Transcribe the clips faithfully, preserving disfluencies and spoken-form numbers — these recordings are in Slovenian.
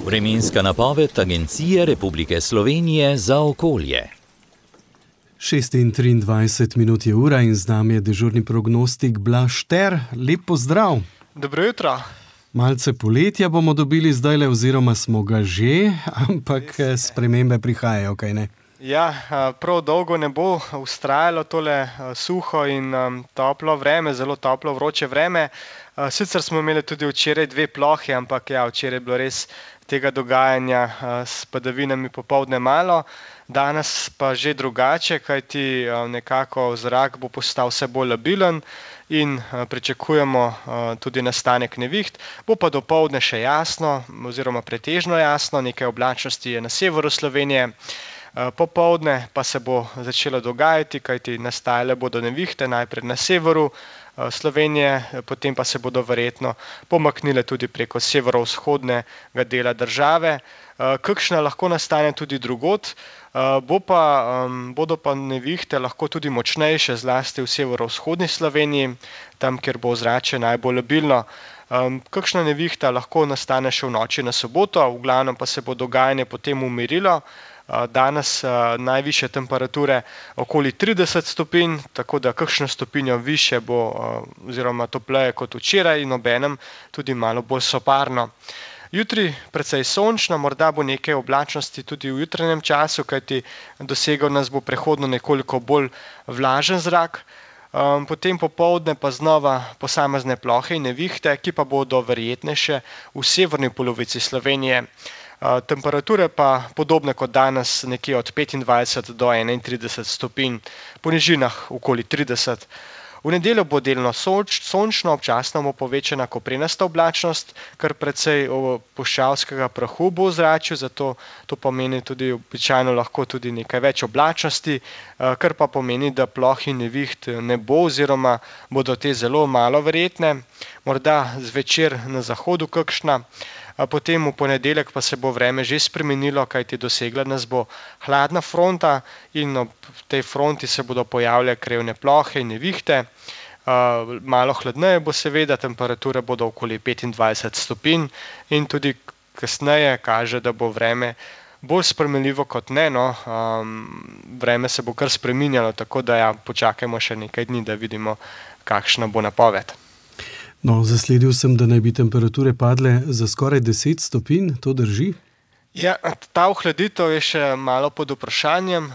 Vremenska napoved Agencije Republike Slovenije za okolje. šest in triindvajset minut je ura in z nami je dežurni prognostik Blaž Ter. Lep pozdrav. Dobro jutro. Malce poletja bomo dobili zdajle, oziroma smo ga že, ampak spremembe prihajajo, kaj ne? Ja, prav dolgo ne bo vztrajalo tole suho in toplo vreme, zelo toplo, vroče vreme. Sicer smo imeli tudi včeraj dve plohi, ampak ja, včeraj je bilo res tega dogajanja s padavinami popoldne malo. Danes pa že drugače, kajti nekako zrak bo postal vse bolj labilen in pričakujemo tudi nastanek neviht. Bo pa dopoldne še jasno oziroma pretežno jasno, nekaj oblačnosti je na severu Slovenije. Popoldne pa se bo začelo dogajati, kajti nastajale bodo nevihte najprej na severu Slovenije, potem pa se bodo verjetno pomaknile tudi preko severovzhodnega dela države. Kakšna lahko nastane tudi drugod, bo pa, bodo pa nevihte lahko tudi močnejše, zlasti v severovzhodni Sloveniji, tam, kjer bo ozračje najbolj labilno. Kakšna nevihta lahko nastane še v noči na soboto, v glavnem pa se bo dogajanje potem umirilo. Danes najvišje temperature okoli trideset stopinj, tako da kakšno stopinjo višje bo oziroma topleje kot včeraj in obenem tudi malo bolj soparno. Jutri precej sončno, morda bo nekaj oblačnosti tudi v jutranjem času, kajti dosegel nas bo prehodno nekoliko bolj vlažen zrak. Potem popoldne pa znova posamezne plohe in nevihte, ki pa bodo verjetnejše v severni polovici Slovenije. Temperature pa podobne kot danes, nekje od petindvajset do enaintrideset stopinj, po nižinah okoli trideset. V nedeljo bo delno sončno, občasno bo povečana koprenasta oblačnost, kar precej puščavskega prahu bo v ozračju, zato to pomeni tudi običajno lahko tudi nekaj več oblačnosti, kar pa pomeni, da ploh in neviht ne bo oziroma bodo te zelo malo verjetne, morda zvečer na zahodu kakšna. Potem v ponedeljek pa se bo vreme že spremenilo, kajti dosegla nas bo hladna fronta in ob tej fronti se bodo pojavljale krevne plohe in nevihte. Malo hladneje bo seveda, temperature bodo okoli petindvajset stopinj in tudi kasneje kaže, da bo vreme bolj spremenljivo kot ne, no. Vreme se bo kar spreminjalo, tako da ja, počakajmo še nekaj dni, da vidimo, kakšna bo napoved. No, zasledil sem, da naj bi temperature padle za skoraj deset stopinj, to drži? Ja, ta ohladitev je še malo pod vprašanjem,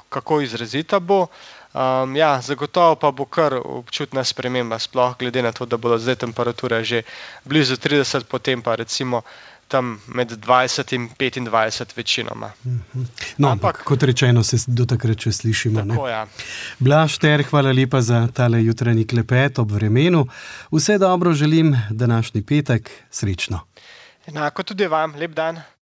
kako izrazita bo. Ja, zagotovo pa bo kar občutna sprememba, sploh glede na to, da bodo zdaj temperature že blizu trideset, potem pa recimo tam med dvajset in petindvajset večinoma. No, ampak kot rečeno, se do takrat še slišimo. Tako, ja. Blaž Ter, hvala lepa za tale jutranji klepet ob vremenu. Vse dobro želim današnji petek, srečno. Enako tudi vam, lep dan.